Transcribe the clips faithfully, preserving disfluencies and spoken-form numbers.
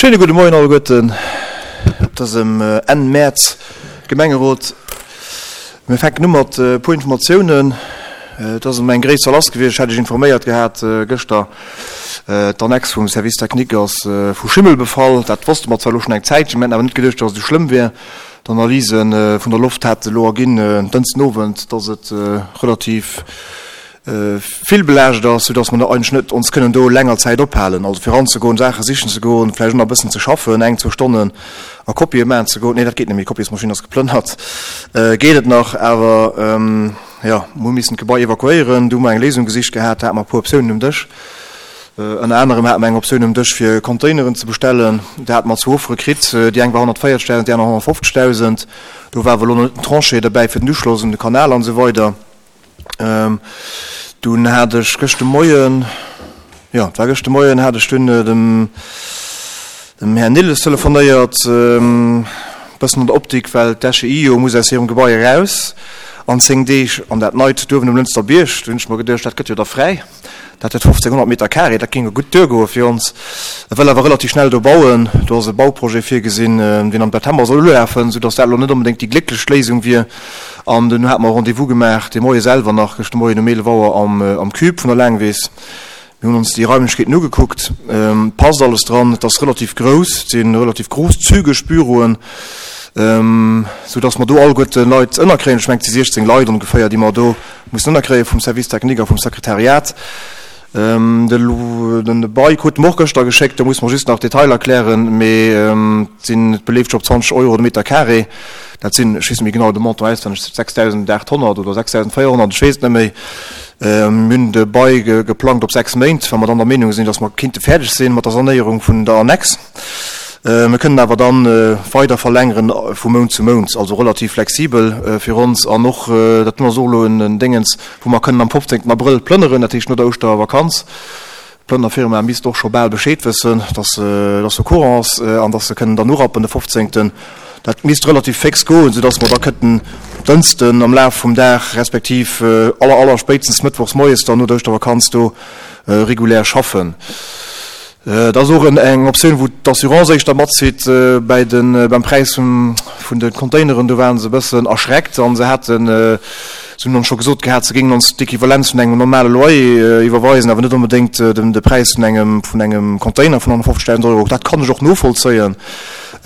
Schéine gudde Moien alleguerten op dësem Enn Mäerz Gemengerot. Mir fänken u mat e puer Informatiounen. Et ass ëm eng gréisser lass gewiescht, ech hat Iech informéiert gehat gëschter. D'Annex vum Service technique ass vu Schimmel befall. Dat wosste mer zwar elo schonn eng Zäitchen, mir haten awer net geduecht, datt et esou schlëmm wier. D'Analyse vun der Loft hate elo erginn en Dënschden Owend, datt et relativ vill belaascht ass, soudass mer eigentlech net ons kënnen do länger Zäit ophalen, also fir eranzegoen, Saache sichen ze goen, vläicht och nach e bëssen ze schaffen, eng, zwou Stonnen a Kopië maachen ze goen. Nee, dat geet net méi, d'Kopiesmaschinn ass geplënnert. Geet et nach, awer jo, mer hu missen d'Gebai evakuéieren. Du hu mer eng Léisung gesicht gehat, da hate mer e puer Optiounen um Dësch. Ënner anerem hate mer eng Optioun um Dësch, fir Containeren ze bestellen. Da hate mer zwou Offere kritt, déi eng war honnertvéierzegdausend, déi aner honnertfofzegdausend. Do war awer elo nach net den Tranché derbäi fir den Uschloss un de Kanal an esou weider. Dunn hat ech gëscht de Moien, jo, et war gëscht de Moien, hat ech dunn dem, dem Här Nilles telefonéiert, e bëssen an der Optik, well d'SGI jo muss aus hirem Gebai eraus an zéng Deeg an dat neit duerwen um Lënster Bierg. Du hunn ech mer geduecht, dat gëtt jo da fräi. Dat huet fofzénghonnert Meter carré, dat géing jo gutt duergoe fir ons. E wëll awer relativ schnell do bauen. Do ass e Bauprojet virgesinn, deen am September soll ulafen, soudass dat elo net onbedéngt déi glécklechst Léisung wier. An dunn hate mer e Rendez-vous gemaach, de Moie selwer nach, gëschter Moien um eelef Auer am Cube vun der Laangwiss. Mir hunn ons déi Raimlechkeeten ugekuckt. Et passt alles dran, et ass relativ grouss, et si relativ grosszügeg Büroen, soudass mer do alleguerte Leit ënnerkréien. Ech mengen, et si siechzéng Leit ongeféier, déi mer do mussen ënnerkréie vum Service technique a vum Sekretariat. De Bail krute mer och gëschter geschéckt, do musse mer just nach d'Detailer klären, mee et sinn, et beleeft sech op zwanzeg Euro de Meter carré. Dat sinn, ech weess net méi genau de Montant auswenneg, sechsdausendachthonnert oder sechsdausendvéierhonnert, ech weess et net méi. Mir hunn de Bail geplangt op sechs Méint, well mer dann der Meenung sinn, datt mer kinnte fäerdeg sinn mat der Sanéierung vun der Annex. Mir kënnen awer da weider verlängeren vu Mount zu Mount, also relativ flexibel fir ons. An och, dat ass och elo en Déngens, wou mer kënnen am fofzéngten Abrëll plënneren, dat heescht no der Ouschtervakanz. D'Plënnerfirma misst och scho bal Bescheed wëssen, dass se au courant ass an dass se kënnen dann urappen de fofzéngten. Dat misst relativ féx goen, soudass mer da kënnten Dënsten am Laf vum Dag respektiv aller aller spéitstens mëttwochs moies dann no der Ouschtervakanz do regulär schaffen. Et ass och eng Optioun, wou d'Assurance éischter matzitt bäi de beim Präis vun de Containeren. Do ware se e bëssen erschreckt a se haten, se hunn ons scho gesot gehat, se géingen ons d'Equivalenz vun engem normale Loyer iwwerweisen, awer net onbedéngt de Präis vun engem vun engem Container vun honnertfofzegdausend Euro. Dat kann ech och novollzéien,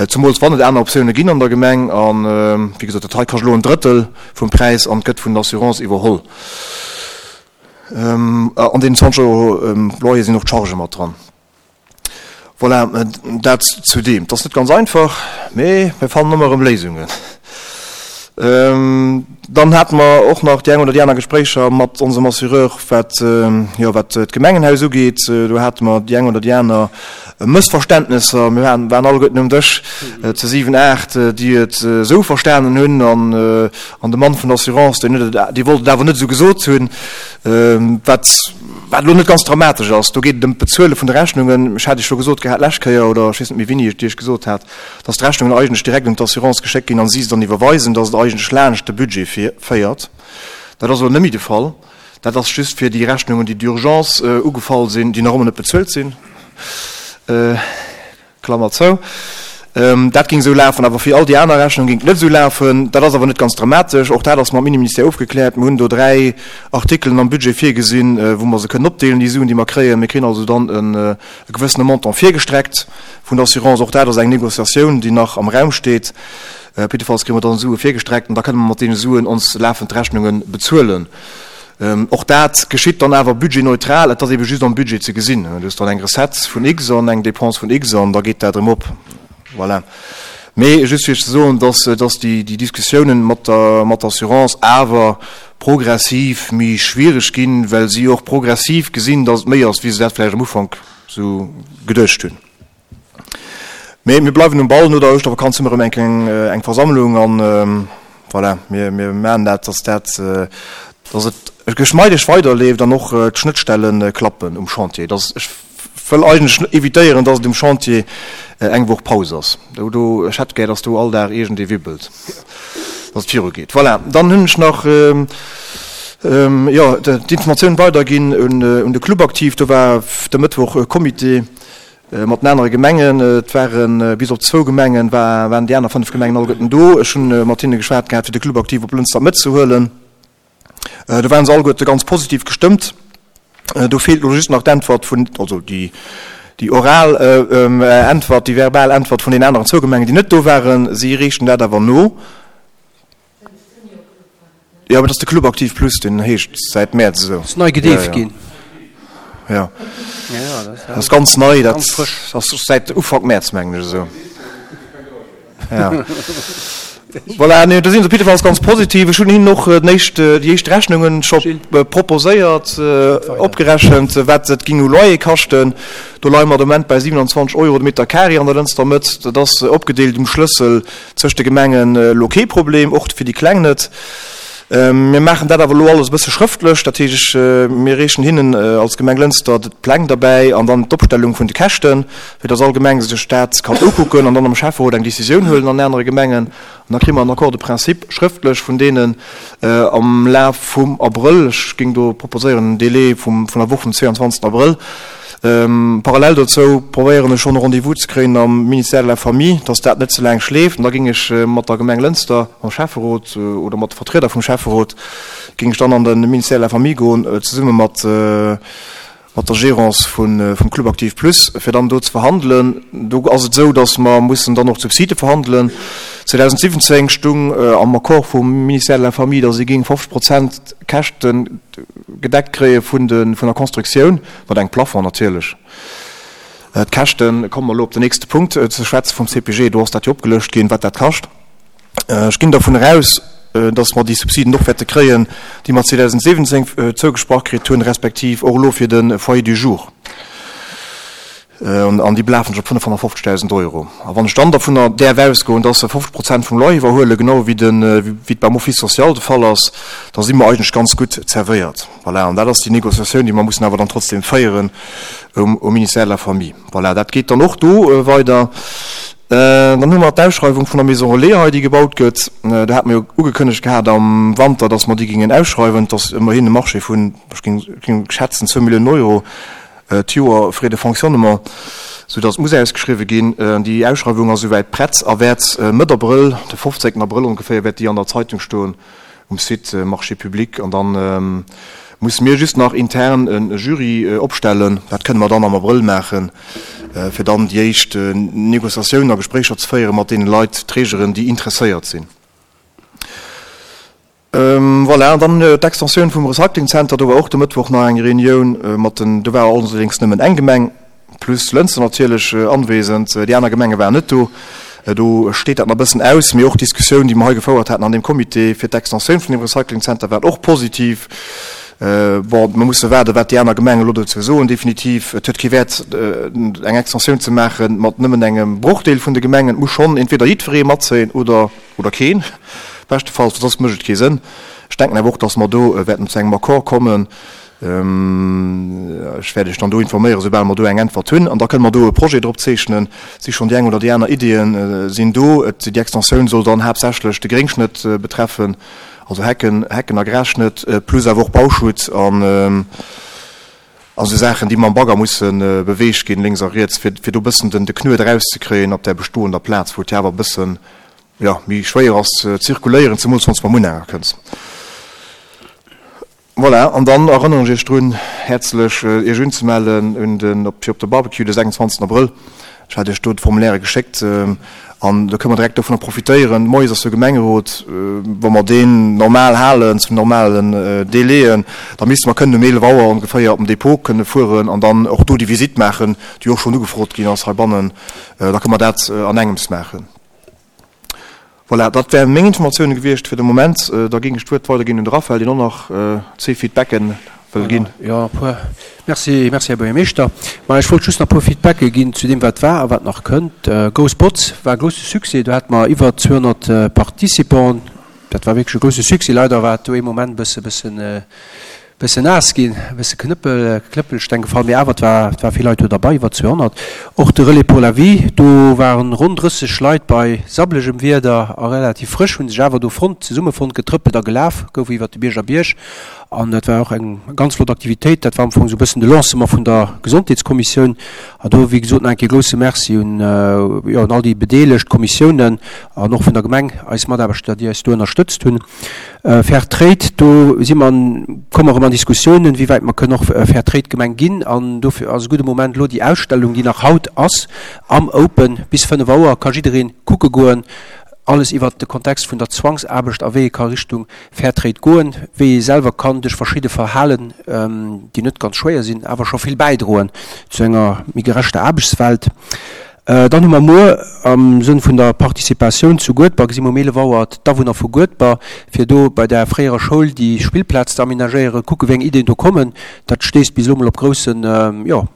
zemools wann et aner Optioune ginn an der Gemeng. A wéi gesot, dat hei kascht elo en Drëttel vum Präis an gëtt vun der Assurance iwwerholl. An deenen zwanzeg Euro Loyer sinn och d'Chargë mat dran. Voilà, dat zu deem. Et ass net ganz einfach, mee mir fannen ëmmer erëm Léisungen. Dann hate mer och nach déi eng oder déi aner Gespréicher mat onsem Assureur, wat, jo, wat d'Gemengenhaus ugeet. Do hate mer déi eng oder déi aner Mëssverständnesser. Mir waren alleguerten um Dësch, zu siwen, aacht, déi et esou verstanen hunn. An An de Mann vun der Assurance, deen huet et, dee wollt et awer net esou gesot hunn, wat, wat elo net ganz dramatesch ass. Do geet et ëm d'Bezuele vun de Rechnungen. Ech hat Iech scho gesot gehat d'lescht Kéier, oder ech weess net méi wéini ech et Iech gesot hat, dass d'Rechnungen eigentlech direkt un d'Assurance geschéckt ginn an si se dann iwwerweisen, dass et eigentlech laanscht de Budget féiert. Dat ass elo net méi de Fall. Dat ass just fir déi Rechnungen, déi d'urgence ugefall sinn, déi nach ëmmer net bezuelt sinn. Klammer zou. Dat géing esou lafen, awer fir all déi aner Rechnung géing et net esou lafen. Dat ass awer net ganz dramatesch. Och dat ass mam Inneministère ofgekläert. Mir hunn do dräi Artikelen am Budget virgesinn, wou mer se kënnen opdeelen, déi Suen, déi mer kréien. Mir kréien also dann e gewëssene Montant virgestreckt vun der Assurance. Och dat ass eng Négociatioun, déi nach am Raum steet. Op jiddefalls kréie mer dann Sue virgestreckt an da kënne mer mat deene Suen ons lafend Rechnunge bezuelen. Och dat geschitt dann awer budgetneutral, et ass ebe just am Budget ze gesinn. Du hues dann eng Recette vun X an eng Dépense vun X an da geet dat erëm op. Voilà. Mee just fir Iech ze soen, dass, dass déi, déi Diskussiounen mat der, mat der Assurance awer progressiv méi schwierig ginn, well si och progressiv gesinn, dass et méi ass, wéi se dat vläicht am Ufank esou geduecht hunn. Mee mir bleiwen um Ball. No der Ouschtervakanz hu mir erëm eng kleng eng Versammlung an voilà, mir mir maachen dat, dass dat dass et geschmeideg weiderleeft an och d'Schnëttstelle klappen um Chantier. Dass ech wëll eigentlech evitéieren, dass et um Chantier eng Woch Paus ass. Do do ech hätt gär, dass do all Dag iergendee wibbelt, dass et virugeet. Voilà, dann hunn ech nach jo d'Informatioun weiderginn un un de Club Aktiv. Do war de Mëttwoch e Comité. mat den anere Gemengen. Et ware bis op zwou Gemengen, waren déi aner fënnef Gemengen alleguerten do. Ech hu mat hinne geschwat gehat, fir de Club Aktiv op Lënster matzehuelen. Do waren se alleguerte ganz positiv gestëmmt. Do feelt elo just nach d'Äntwert vun, also déi, déi oral Äntwert, déi verbal Äntwert vun den aneren zwou Gemengen, déi net do waren. Si reechen dat awer no. Jo, mä dat ass de Club Aktiv Plus, deen heescht säit Mäerz esou. Ass nei gedeeft ginn. Jo, dat ass ganz nei, dat ass säit Ufank Mäerz, mengen ech esou. Ja. Voilà, nee, do sinn se op jiddefalls ganz positiv. Ech hunn hinnen och den éischt, déi éischt Rechnungen scho proposéiert, opgerechent, wat et géing u Loyer kaschten. Do leie mer de Moment bei siewenundzwanzeg Euro de Meter carré an der Lënster Mëtt. Dat ass opgedeelt um Schlëssel zwëscht de Gemengen elo kee Problem, och fir déi Kleng net. Mir maachen dat awer elo alles e bësse schrëftlech. Dat heescht, ech, mir reechen hinnen als Gemeng Lënster d'Pläng derbäi an dann d'Opstellung vun de Käschten, fir dass all Gemeng sech dat kann ukucken an dann am Schäfferot eng Décisioun huelen an anere Gemengen. An da kréie mer en Accord de principe schrëftlech vun deenen am Laf vum Abrëll. Ech géing do proposéieren en Délai vum, vun der Woch vum zweeanzwanzegsten Abrëll. Parallel dozou probéieren ech schonn e Rendez-vous ze kréien am Ministère de la Famille, dass dat net ze laang schleeft. An da géing ech mat der Gemeng Lënster, mam Schäfferot oder mat de Vertrieder vum Schäfferot, géing ech dann an de Ministère de la Famille goen, zesumme mat mat der Gérance vum Club Aktiv Plus, fir dann do ze verhandelen. Do ass et esou, dass mer mussen dann och d'Subside verhandelen. zweedausendsiwwenzéng stung am Accord vum Ministère de la Famille, dass ee géing fofzeg Prozent Käschte gedeckt kréie vun der Constructioun, mat engem Plafond natierlech. D'Käschte, komme mer elo op den nächste Punkt ze schwätzen, vum C P G, do ass dat jo opgelëscht ginn, wat dat kascht. Ech ginn dervun eraus, dass mer déi Subsiden och wäerte kréien, déi mer zweedausendsiwwenzéng zougesprach kritt hunn, respektiv och elo fir de Foyer du jour. An déi belafen sech op fënnefhonnertfofzegdausend Euro. A wann ech dann dovunner däerf ausgoen, dass se fofzeg Prozent vum Loyer iwwerhuelen, genau wéi de, wéi et beim Office social de Fall ass, da si mer eigentlech ganz gutt zerwéiert. Voilà, an dat ass déi Négociatioun, déi mer mussen awer dann trotzdem féieren um, um Ministère de la Famille. Voilà, dat geet dann och do weider. Dann hu mer d'Ausschreiwung vun der Maison Relais hei, déi gebaut gëtt. Do hate mer jo ugekënnegt gehat am Wanter, dass mer déi géingen ausschreiwen. Et ass ëmmerhin e Marché vun, ech géing, géing schätzen, zwou Milliounen Euro d'Joer Frais de fonctionnement, soudass et muss ausgeschriwwen ginn. Déi Ausschreiwung ass souwäit prett a wäert Mëtt Abrëll, de fofzéngten Abrëll ongeféier, wäert déi an der Zeitung stoen um Site Marchés publics. An dann musse mir just nach intern e Jury opstellen. Dat kënne mer dann am Abrëll maachen, fir dann déi éischt Négociatiounen a Gespréicher ze féiere mat deene Leit, Trägeren, déi interesséiert sinn. Voilà, an dann d'Extensioun vum Recycling Center, do war och de Mëttwoch nach eng Reunioun mat den, do war allerdéngs nëmmen eng Gemeng plus Lënster natierlech anwesend, déi aner Gemenge waren net do. Do steet dat nach e bëssen aus, mee och d'Diskussioun, déi mer hei gefouert haten an deem Comité fir d'Extensioun vun dem Recycling Center, war och positiv. Bon, mer musse waarden, wat déi aner Gemengen elo dozou soen. Definitiv, et huet kee Wäert, eng Extensioun ze maache mat nëmmen engem Brochdeel vun de Gemengen. Et muss schonn entweder jiddweree matzéien oder, oder keen, beschtefalls, well soss mécht et kee Sënn. Ech denken awer och, dass mer do wäerten zu engem Accord kommen. Ech wäert Iech dann do informéieren, soubal mer do eng Äntwert hunn. An da kënne mer do e Projet drop zeechnen. Et si schonn déi eng oder déi aner Ideeën sinn do. Et, déi Extensioun soll dann haaptsächlech de Gréngschnëtt betreffen, also Hecken, Hecken a Grasschnëtt, plus awer och Bauschutt an a sou Saachen, déi mam Bagger musse beweegt ginn, lénks a riets, fir, fir do e bëssen den, de Knuet erauszekréien op där bestoender Plaz, wou et jo awer e bëssen, jo, méi schwéier ass ze zirkuléieren, zemools wann s de mam Unhänger kënns. Voilà, an dann erënneren ech Iech drun, häerzlech Iech unzemellen un den, op, fir op de Barbecue de sechsundzwanzegsten Abrëll. Ech hat Iech do d'Formulaire geschéckt an do kënne mer direkt dovunner profitéieren. Moies ass jo Gemengerot, wa mer deen normal halen, zu normalen Délaiën, da misste mer kënnen um eelef Auer ongeféier op den Depot kënne fueren an dann och do déi Visitt maachen, déi och schonn ugefrot ginn ass heibannen. Da kënne mer dat an engems maachen. Voilà, dat wären meng Informatiounen gewiescht fir de Moment. Da géing ech d'Wuert weiderginn un de Raphaël, deen och nach zwee Feedbacken wëll ginn. Jo, e puer. Merci, merci, Här Buergermeeschter. Ma ech wollt just nach e puer Feedbacke ginn zu deem, wat war a wat nach kënnt. Grouss Botz war e grousse Succès. Do hate mer iwwer zweehonnert Participanten. Dat war wierklech e grousse Succès. Leider war et do ee Moment e bësse, bëssen, bëssen naass ginn, e bësse Knëppel, Knëppelsteng gefall, mee awer et war, et war vill Leit do derbei, iwwer zweehonnert. Och de Relais pour la vie, do waren ronn drësseg Leit bei sabblegem Wieder a relativ frësch, hu sech awer do fonnt, zesummefonnt, getrëppelt a gelaf, gouf iwwer de Bierger Bierg. An dat war och eng ganz flott Aktivitéit. Dat war am Fong esou e bëssen de Lancement vun der Gesondheetskommissioun. An do, wéi gesot, nach eng Kéier grousse Merci un, jo, un all déi bedeelegt Kommissiounen an och vun der Gemeng, eis Mataarbechter, déi eis do ënnerstëtzt hunn. Fair Trade, do si mer, komme mer erëm an Diskussiounen, wéi wäit mer kënnen och Fair Trade Gemeng ginn. An dofir ass e gudde Moment elo déi Ausstellung, déi nach haut ass am Open bis fënnef Auer, ka jidderee kucke goen. Alles iwwert de Kontext vun der Zwangsaarbecht a wéi ee ka Richtung Fairtrade goen, wéi ee selwer kann duerch verschidde Verhalen, déi net ganz schwéier sinn, awer scho vill bäidroen zu enger méi gerechter Aarbechtswelt. Dann hu mer muer am Sënn vun der Participatioun zu Guedber, gesi mer um eelef Auer d'Awunner vu Guedber, fir do bei der fréierer Schoul déi Spillplaz ze amenagéieren, kucke wéi eng Iddien do kommen. Dat stéisst bis elo mol op groussen, jo,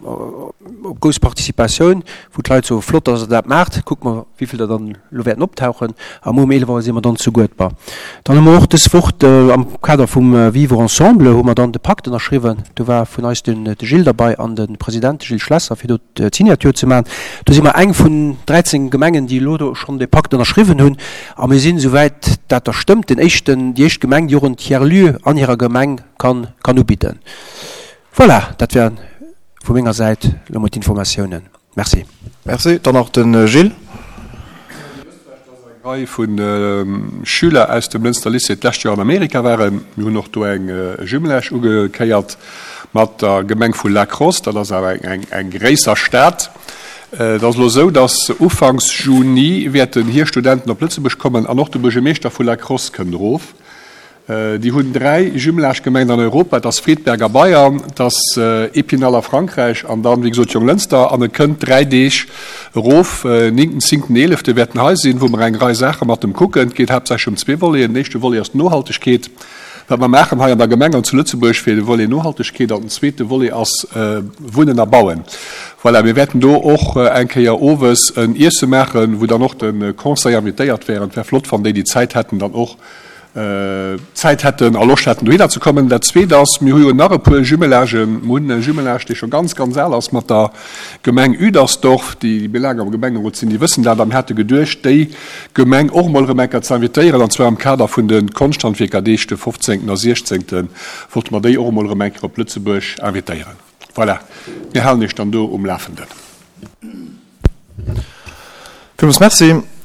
op grouss Participatioun, wou d'Leit soen, flott, dass Der dat maacht, kuckt mer, wéi vill der dann elo wäerten optauchen. A muer um eelef Auer si mer dann zu Guedber. Dann hu mer och dës Woch am Kader vum Vivre ensemble hu mer dann de Pakt ënnerschriwwen. Do war vun eis den de Gilles derbei an de President, de Gilles Schlesser, fir do d'Signature ze maachen. Do si mer eng vun dräizéng Gemengen, déi elo do schonn dee Pakt ënnerschriwwen hunn. A mir sinn, esouwäit dat da stëmmt, den éischten, déi éischt Gemeng, déi och en Tiers-lieu an hirer Gemeng kann, kann ubidden. Voilà, dat wären vu menger Säit elo mol d'Informatiounen. Merci. Merci. Dann nach de Gilles. Eng Rei vu Schüler aus dem Lënster Lycée d'lescht Joer an Amerika waren. Mir hunn och do eng Jumelage ugekéiert mat der Gemeng vu La Crosse. Dat ass awer eng gréisser Stad. Et ass elo esou, datt ufanks Juni wäerten hir Studenten op Lëtzebuerg kommen an och de Buergermeeschter vu La Crosse kënnt erof. Déi hunn dräi Jumelage-Gemengen an Europa, et ass Friedberg a Bayern, et ass Épinal a Frankräich an dann, wéi gesot, Jonglënster. An e kënnt dräi Deeg erof, néngten, zéngten, eelefte wäert en hei sinn, wou mer eng Rei Saache mat em kucken. Et geet haaptsächlech ëm zwee Voleten. Den éischte Volet ass d'Nohaltegkeet, wat mer maachen hei an der Gemeng an zu Lëtzebuerg fir de Volet Nohaltegkeet. An den zweete Volet ass Wunnen a Bauen. Voilà, mir wäerten do och eng Kéier owes en Iesse maachen, wou dann och de Conseil invitéiert wär. An et wär flott, wann déi, déi Zäit hätten, dann och Zäit hätten a Loscht hätten dohinner ze kommen. Dat Zweet ass, mir hu jo nach e puer Jumelagen. Mir hunn e Jumelage, dee scho ganz, ganz al ass, mat der Gemeng Üdersdorf. Déi, déi méi laang am Gemengerot sinn, déi wëssen dat. A mir hate geduecht, déi Gemeng och emol erëm eng Kéier ze invitéieren, an zwar am Kader vun de Konschthandwierkerdeeg, de fofzéngten a siechzéngten, wollte mer déi och emol erëm eng Kéier op Lëtzebuerg invitéieren. Voilà, mir halen Iech dann do um Lafenden. Villmools Merci.